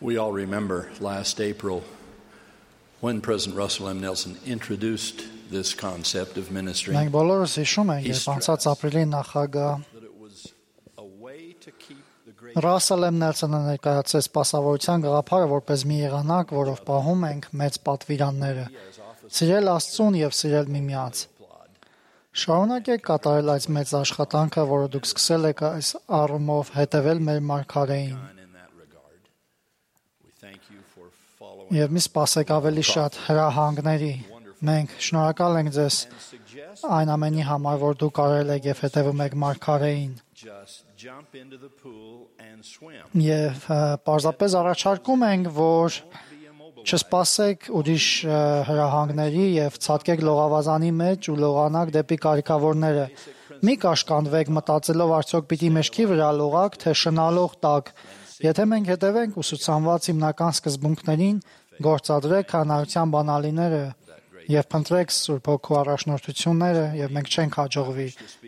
We all remember last April when President Russell M. Nelson introduced this concept of ministry. Մենք բոլորս հիշում ենք, երբ անցած ապրիլի նախագահ That it was a way to keep the great Ռասել M. Նելսոնը ներկայացրեց սպասավորության գաղափարը որպես մի եղանակ, որով պահում ենք մեծ պատվիրանները, սիրել Աստծուն եւ սիրել միմյանց։ Շարունակեք կատարել այս մեծ աշխատանքը, որը դուք սկսել եք այս առումով հետևել մեր մարգարեին։ in that regard. We thank you for following Եվ մի սպասեք ավելի շատ հրահանգների։ Մենք շնորհակալ ենք ձեզ այն ամենի համար, որ դուք արել եք եւ հետևում եք մարգարեին։ just jump into the pool and swim. Եվ պարզապես առաջարկում ենք, որ չսպասեք ուրիշ հրահանգների եւ ցածկեք լողավազանի մեջ ու լողանակ դեպի կարիքավորները։ Մի կաշկանդվեք մտածելով արդյոք պիտի մեջքի վրա լողակ, թե շնալող տակ։ Եթե մենք հետևենք ուսուցանված հիմնական սկզբունքներին, գործադրեք հանրության բանալիները եւ փնտրեք Սուրբ Հոգու առաջնորդությունները եւ մենք չենք հաջողվի։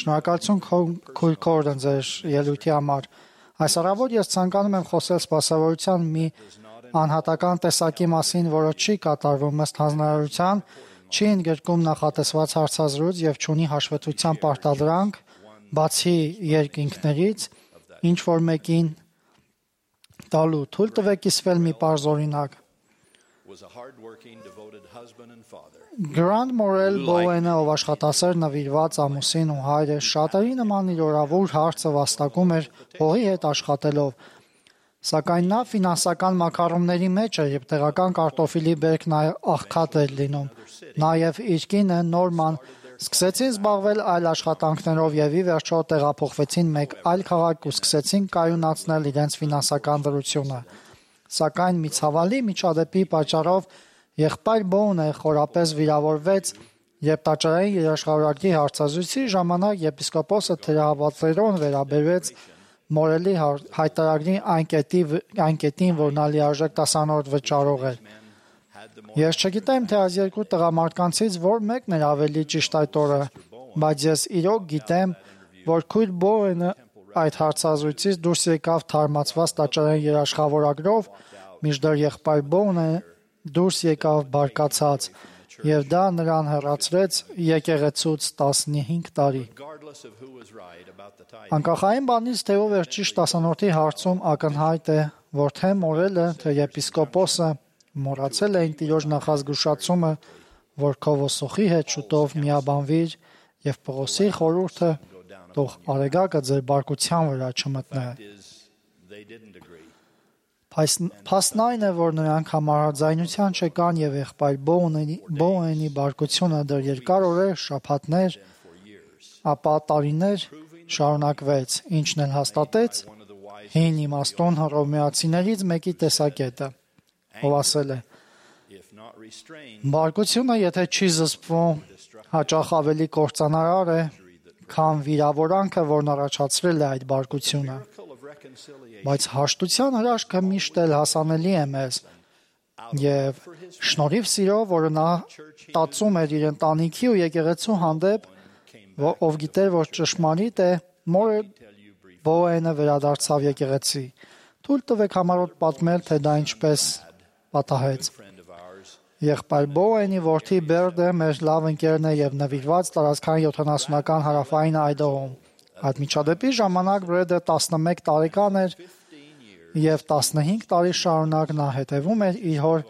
Շնորհակալություն Քույր Քորդն ձեր ելույթի համար։ Այս առավոտ ես ցանկանում եմ խոսել սպասավորության մի անհատական տեսակի մասին, որը չի կատարվում ըստ հանրարարության, չի ընդգրկում նախատեսված հարցազրույց եւ չունի հաշվետվության պարտադրանք, բացի երկինքներից, ինչ որ մեկին տալու։ Թույլ տվեք կիսվել մի պարզ օրինակ։ Was a hard-working, devoted husband and father. Գրանդ Մորել Բոուենը, ով աշխատասեր նվիրված ամուսին ու հայր է, շատերի նման իր օրավոր հարցը վաստակում էր հողի հետ աշխատելով։ Սակայն նա ֆինանսական մակարոնների մեջ էր եւ տեղական կարտոֆիլի բերքն աղքատ էր լինում։ Նաեւ իր կինը Նորման սկսեցին զբաղվել այլ աշխատանքներով եւ ի վերջո տեղափոխվեցին մեկ այլ քաղաք ու սկսեցին կայունացնել իրենց ֆինանսական դրությունը։ Սակայն մի ցավալի միջադեպի պատճառով եղբայր Բոունը խորապես վիրավորվեց, երբ տաճարային երաշխավորակի հարցազրույցի ժամանակ եպիսկոպոսը թերահավատերոն վերաբերվեց Մորելի հայտարարի այն կետին, որ նա լիարժեք տասանորդ վճարող էր։ Ես չգիտեմ, թե այս երկու տղամարդկանցից որ մեկն էր ավելի ճիշտ այդ օրը, բայց ես իրոք գիտեմ, որ Քույր Բոուենը այդ հարցազրույցից դուրս եկավ թարմացված տաճարային երաշխավորագրով, մինչդեռ եղբայր Բոունը դուրս եկավ բարկացած, եւ դա նրան հեռացրեց եկեղեցուց 15 տարի։ Regardless of who was right about the tithing. Անկախային բանից, թե ով էր ճիշտ տասանորդի հարցում, ակնհայտ է, որ թե Մորելը, թե եպիսկոպոսը մոռացել էին տիրոջ նախազգուշացումը, որ Քովոսոխի հետ շուտով միաբանվիր եւ Պողոսի խորհուրդը թող արեգակը ձեր բարկության վրա չմտնե։ They didn't agree. Փաստն այն է, որ նրանք համաձայնության չկան եւ եղբայր Բոուենի բարկությունը դեռ երկար օրեր, շաբաթներ, ապա տարիներ շարունակվեց, ինչն էլ հաստատեց հին իմաստուն հռոմեացիներից մեկի տեսակետը, ով ասել է. If not restrained, բարկությունը եթե չի զսպվում, հաճախ ավելի կործանարար է, քան վիրավորանքը, որն առաջացրել է այդ բարկությունը։ full of reconciliation. Բայց հաշտության հրաշքը միշտ էլ հասանելի է մեզ, եւ շնորհիվ սիրո, որը նա տածում էր իր ընտանիքի ու եկեղեցու հանդեպ, ով գիտեր, որ ճշմարիտ է, Մորել Բոուենը վերադարձավ եկեղեցի։ Թույլ տվեք համառոտ պատմել, թե դա ինչպես պատահեց։ Friend of ours, Եղբայր Բոուենի որդի Բերդը մեր լավ ընկերն է եւ նվիրված տարածքային 70-ական հարավային այդողում։ Այդ միջադեպի ժամանակ Բերդը 11 տարեկան էր եւ 15 տարի շարունակ նա հետևում էր իր հոր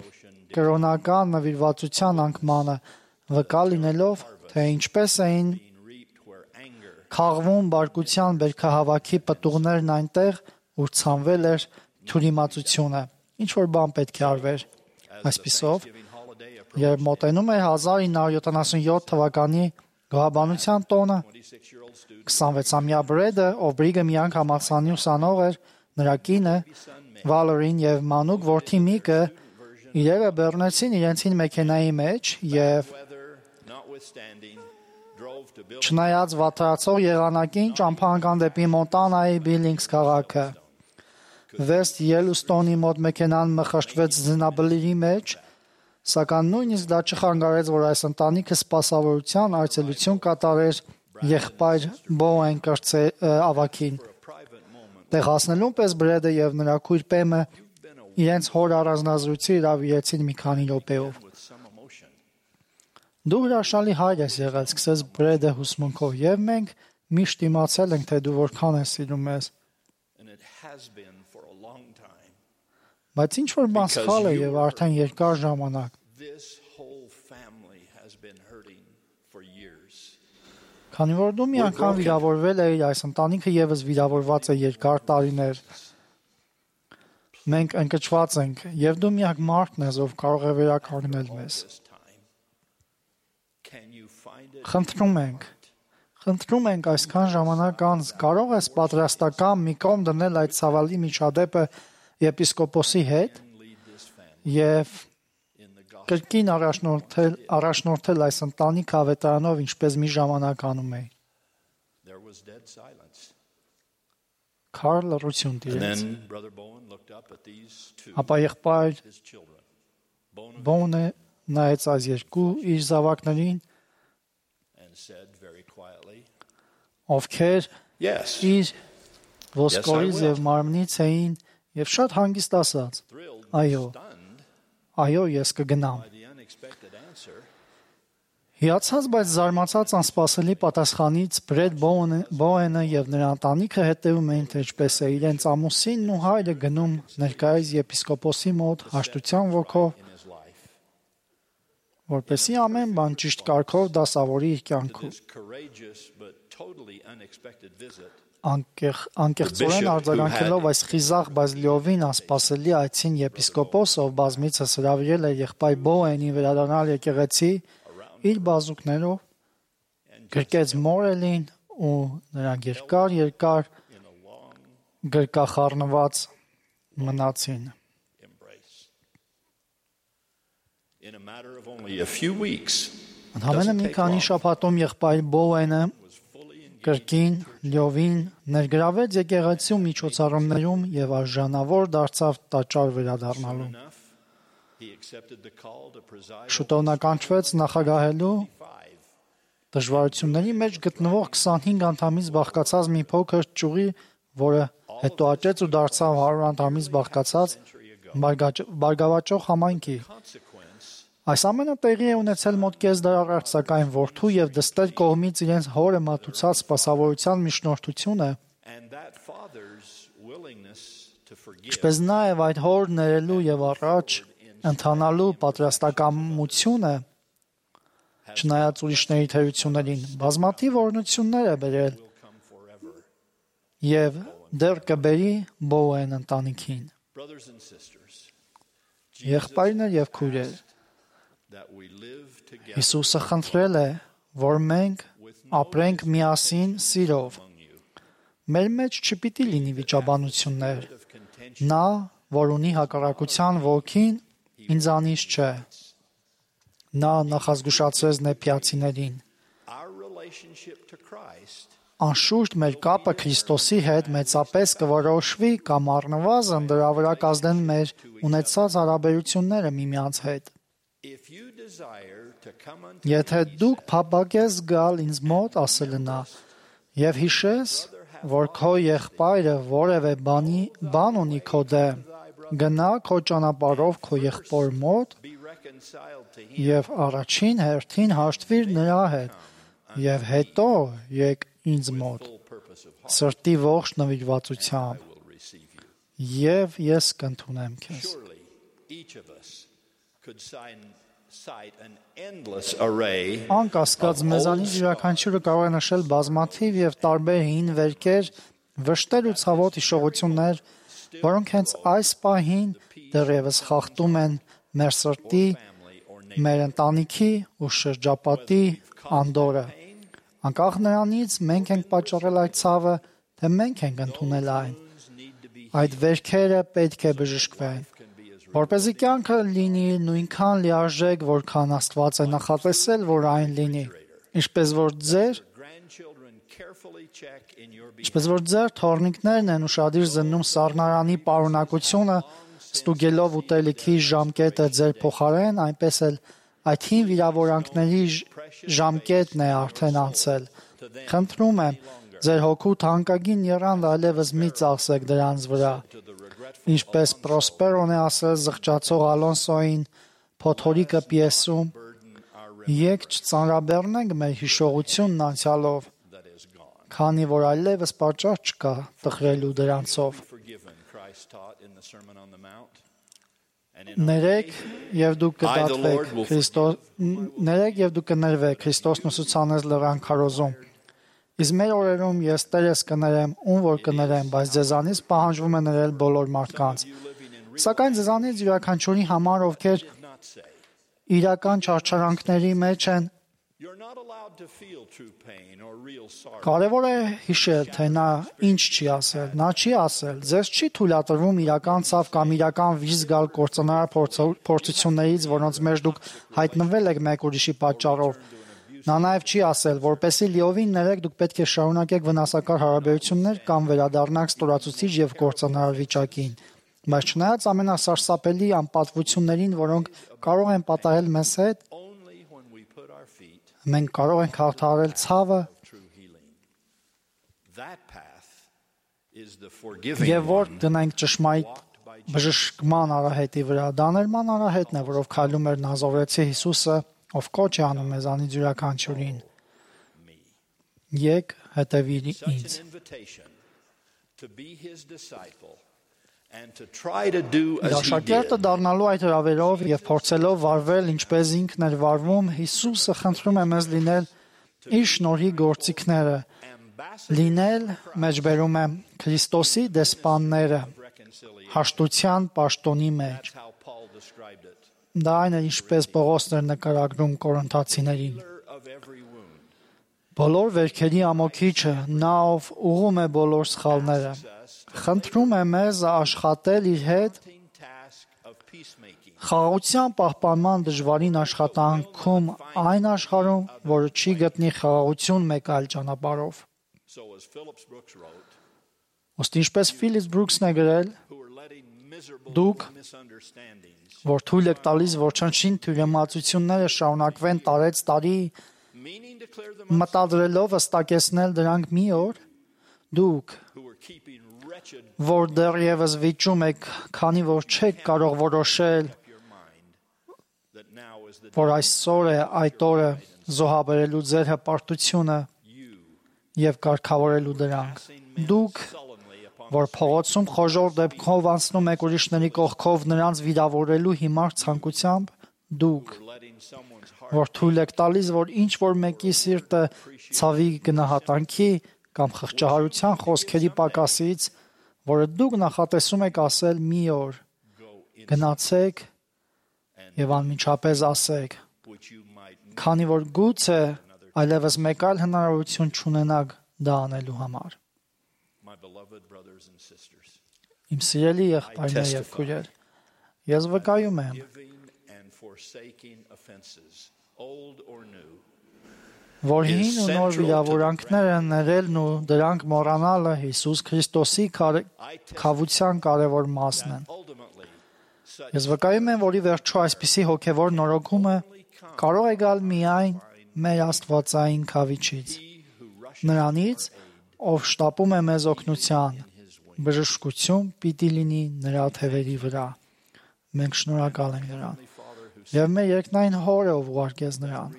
կրոնական նվիրվածության անկմանը, վկա լինելով, թե ինչպես էին reaped where anger քաղվում բարկության բերքահավաքի պտուղներն այնտեղ, ուր ցանվել էր թյուրիմացությունը։ Ինչ որ բան պետք է արվեր։ Այսպիսով, երբ մոտենում էր 1977 թվականի գոհաբանության տոնը, 26-ամյա Բրեդը, ով Բրիգեմ Յանգ համալսարանի ուսանող էր, նրա կինը Վալերին եւ մանուկ որդի Միկը իրերը բեռնեցին իրենցին մեքենայի մեջ եւ notwithstanding drove to build չնայած վատրացող եղանակին ճամփա անգան դեպի Մոնտանայի Բիլինգս քաղաքը։ Վեստ Ելուստոնի մոտ մեքենան մխրճվեց զինաբլիրի մեջ, սակայն նույնիսկ դա չխանգարեց, որ այս ընտանիքը սպասավորության այցելություն կատարեր եղբայր Բոուեն կրծե ավակին։ Տեղ հասնելուն պես Բրեդը եւ նրա քույր Պեմը իրենց հոր առանձնազրույցի հրավիրեցին մի քանի րոպեով։ Դու հրաշալի հայր ես եղել, սկսեց Բրեդը հուսմունքով, եւ մենք միշտ իմացել ենք, թե դու որքան ես սիրում ես։ Բայց ինչ որ բան սխալ է եւ արդեն երկար ժամանակ։ Քանի որ դու մի անգամ վիրավորվել ես, այս ընտանիքը եւս վիրավորված է երկար տարիներ։ Մենք ընկճված ենք, եւ դու միակ մարդն ես, ով կարող է վերականգնել մեզ։ Խնդրում ենք այսքան ժամանակ անց, կարող ես պատրաստական մի կողմ դնել այդ ցավալի միջադեպը եպիսկոպոսի հետ եւ կրկին առաջնորդել այս ընտանիքը ավետարանով, ինչպես մի ժամանակ անում էի։ Քարլ լռություն տիրեց։ Ապա եղբայր Բոնը նայեց այս երկու իր զավակներին, ովքեր իր ոսկորից եւ մարմնից էին եւ շատ հանգիստ ասաց. Այո, ես կգնամ։ Հիացած, բայց զարմացած անսպասելի պատասխանից Բրեդ Բոենը եւ նրա ընտանիքը հետեւում էին, թե ինչպես է իրենց ամուսինն ու հայրը գնում ներկայիս եպիսկոպոսի մոտ հաշտության ոգով, որպեսզի ամեն բան ճիշտ կարգով դասավորի իր կյանքում։ Անկեղծորեն արձագանքելով այս խիզախ, բայց լիովին անսպասելի այցին եպիսկոպոսը, ով բազմիցս հրավիրել էր եղբայր Բոենին վերադառնալ եկեղեցի իր բազուկներով, գրկեց Մորելին ու նրանք երկար գրկախառնված մնացին։ Ընդամենը մի քանի շաբաթում եղբայր Բոենը կրկին լիովին ներգրավեց եկեղեցու միջոցառումներում եւ արժանավոր դարձավ տաճար վերադառնալու։ Շուտով նա կանչվեց նախագահելու դժվարությունների մեջ գտնվող 25 անդամից բաղկացած մի փոքր ճյուղի, որը հետո աճեց ու դարձավ 100 անդամից բաղկացած բարգավաճող համայնքի։ Այս ամենը տեղի է ունեցել մոտ կես դար առաջ, սակայն որդու եւ դստեր կողմից իրենց հորը մատուցած սպասավորության միջնորդությունը, ինչպես նաեւ այդ հոր ներելու եւ առաջ ընթանալու պատրաստակամությունը, չնայած ուրիշների թերություններին, բազմաթիվ օրհնություններ է բերել եւ դեռ կբերի Բոեն ընտանիքին։ Եղբայրներ եւ քույրեր, Հիսուսը խնդրել է, որ մենք ապրենք միասին սիրով։ Մեր մեջ չպիտի լինի վիճաբանություններ։ Նա, որ ունի հակառակության ոգին, ինձանից չէ։ Նա նախազգուշացրեց նեփիացիներին. Անշուշտ մեր կապը Քրիստոսի հետ մեծապես կորոշվի կամ առնվազն դրա վրա կազդեն մեր ունեցած հարաբերությունները միմյանց հետ։ Եթե դուք փափագես գալ ինձ մոտ, ասել նա, եւ հիշես, որ քո եղբայրը որևէ բան ունի քո դեմ, գնա քո ճանապարհով քո եղբոր մոտ եւ առաջին հերթին հաշտվիր նրա հետ եւ հետո եկ ինձ մոտ սրտի ողջ նվիրվածությամբ եւ ես կընդունեմ քեզ։ Անկասկած մեզանից յուրաքանչյուրը կարող է նշել բազմաթիվ եւ տարբեր հին վերքեր, վշտեր ու ցավոտ հիշողություններ, որոնք հենց այս պահին դեռևս խախտում են մեր սրտի, մեր ընտանիքի ու շրջապատի անդորը։ Անկախ նրանից մենք ենք պատճառել այդ ցավը, թե մենք ենք ընդունել այն։ Այդ վերքերը պետք է բժշկվեն, որպեսզի կյանքը լինի նույնքան լիարժեք, որքան Աստված է նախատեսել, որ այն լինի, ինչպես որ ձեր թոռնիկներն են ուշադիր զննում սառնարանի պարունակությունը, ստուգելով ուտելիքի ժամկետը ձեր փոխարեն, այնպես էլ այդ հին վիրավորանքների ժամկետն է արդեն անցել։ Խնդրում եմ, ձեր հոգու թանկագին եռանդը այլևս մի ծախսեք դրանց վրա։ Ինչպես Պրոսպերոն է ասել զղջացող Ալոնսոին Փոթորիկը պիեսում, եկ չծանրաբեռնենք մեր հիշողությունն անցյալով, քանի որ այլևս պատճառ չկա տխրելու դրանցով։ Ներեք եւ դուք կներվեք Քրիստոսն ուսուցանեց լեռան քարոզում։ Իսկ մեր օրերում ես Տերես կներեմ, ում որ կներեմ, բայց ձեզանից պահանջվում է ներել բոլոր մարդկանց։ Սակայն ձեզանից յուրաքանչյուրի համար, ովքեր իրական չարչարանքների մեջ են, կարևոր է հիշել, թե նա ինչ չի ասել։ Նա չի ասել, ձեզ չի թույլատրվում իրական ցավ կամ իրական վիճ զգալ կործանար փորձություններից, որոնց մեջ դուք հայտնվել եք մեկ ուրիշի պատճառով։ Նա նաև չի ասել, որպեսզի լիովին ներեք, դուք պետք է շարունակեք վնասակար հարաբերություններ կամ վերադառնաք ստորացուցիչ եւ կործանարար վիճակին։ Բայց չնայած ամենասարսափելի անպատվություններին, որոնք կարող են պատահել մեզ հետ, մենք կարող ենք հաղթահարել ցավը եւ որ դնենք ճշմարիտ բժշկման արահետի վրա։ Դա ներման արահետն է, որով քայլում էր Նազարեթցի Հիսուսը, ով կոչ է անում մեզանից յուրաքանչյուրին. Եկ հետևիր ինձ։ Աշակերտը դառնալու այդ հրավերով եւ փորձելով վարվել ինչպես ինքն էր վարվում, Հիսուսը խնդրում է մեզ լինել իր շնորհի գործիքները, լինել, մեջբերում է Քրիստոսի դեսպանները, հաշտության պաշտոնի մեջ։ Դա այն է, ինչպես Պողոսն էր նկարագրում Կորինթացիներին։ Բոլոր վերքերի ամոքիչը, նա ով ուղղում է բոլոր սխալները, խնդրում է մեզ աշխատել իր հետ խաղաղության պահպանման դժվարին աշխատանքում այն աշխարհում, որը չի գտնի խաղաղություն մեկ այլ ճանապարհով։ Ըստ ինչպես Ֆիլիպ Բրուքսն է գրել, դուք, որ թույլ եք տալիս, որ չնչին թյուրիմացությունները շարունակվեն տարեց տարի, մտադրելով հստակեցնել դրանք մի օր, դուք, որ դեռևս վիճում եք, քանի որ չեք կարող որոշել, որ այսօր է այդ օրը զոհաբերելու ձեր հպարտությունը եւ կարգավորելու դրանք։ Դուք, որ փողոցում խոժոր դեպքով անցնում եք ուրիշների կողքով նրանց վիրավորելու հիմար ցանկությամբ, դուք, որ թույլ եք տալիս, որ ինչ որ մեկի սիրտը ցավի գնահատանքի կամ խղճահարության խոսքերի պակասից, որը դուք նախատեսում եք ասել մի օր, գնացեք եւ անմիջապես ասեք, քանի որ գուցե այլևս մեկ այլ հնարավորություն չունենաք դա անելու համար։ Իմ սիրելի եղբայրներ եւ քույրեր, ես վկայում եմ, որ հին ու նոր վիրավորանքները ներելն ու դրանք մոռանալը Հիսուս Քրիստոսի քավության կարևոր մասն են։ Ես վկայում եմ, որ ի վերջո այսպիսի հոգևոր նորոգումը կարող է գալ միայն մեր Աստվածային քավիչից, նրանից, ով շտապում է մեզ օգնության, բժշկություն պիտի լինի նրա թևերի վրա։ Մենք շնորհակալ ենք նրան։ Եվ մեր երկնային Հորը, ով ուղարկեց նրան։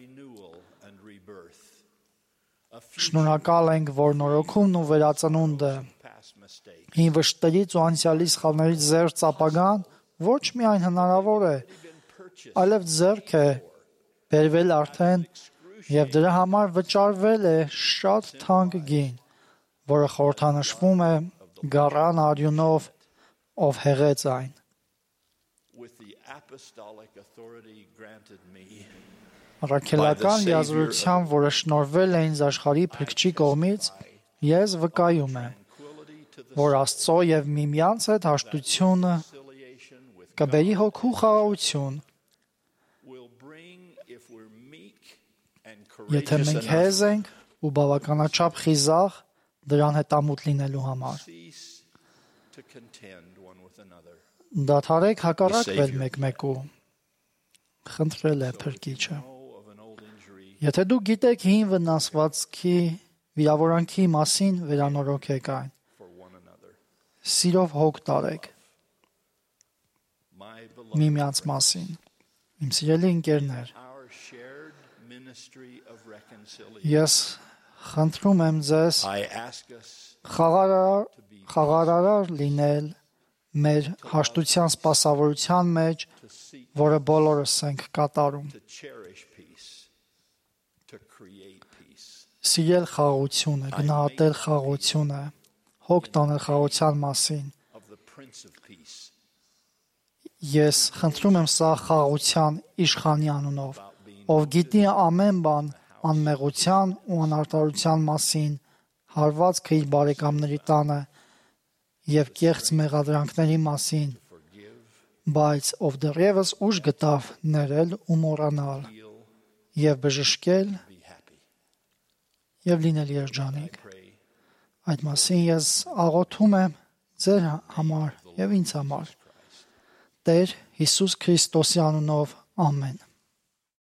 Շնորհակալ ենք, որ նորոգումն ու վերածնունդը, հին վշտերից ու անցյալի սխալներից զերծ ապագան ոչ միայն հնարավոր է, այլև ձեռք է բերվել արդեն եւ դրա համար վճարվել է շատ թանկ գին, որը խորհրդանշվում է գառան արյունով, ով հեղեց այն։ Առաքելական լիազորությամբ, որը շնորհվել է ինձ աշխարհի փրկչի կողմից, ես վկայում եմ, որ Աստծո եւ միմյանց հետ հաշտությունը կբերի հոգու խաղաղություն, եթե մենք հեզ ենք ու բավականաչափ խիզախ դրան հետամուտ լինելու համար։ Դադարեք հակառակվել մեկմեկու, խնդրել է Փրկիչը։ Եթե դուք գիտեք հին վնասվածքի վիրավորանքի մասին, վերանորոգեք այն։ Սիրով հոգ տարեք միմյանց մասին։ Իմ սիրելի ընկերներ, ես խնդրում եմ ձեզ խաղարար լինել մեր հաշտության սպասավորության մեջ, որը բոլորս ենք կատարում։ Սիրել խաղաղությունը, գնահատել խաղաղությունը, հոգ տանել խաղաղության մասին։ Ես խնդրում եմ սա խաղաղության իշխանի անունով, ով գիտի ամեն բան անմեղության ու անարդարության մասին, հարվածքը իր բարեկամների տանը և կեղծ մեղադրանքների մասին, բայց ով դեռևս ուժ գտավ ներել ու մոռանալ և բժշկել և լինել երջանիկ։ Այդ մասին ես աղոթում եմ ձեր համար և ինձ համար։ Տեր Հիսուս Քրիստոսի անունով, ամեն։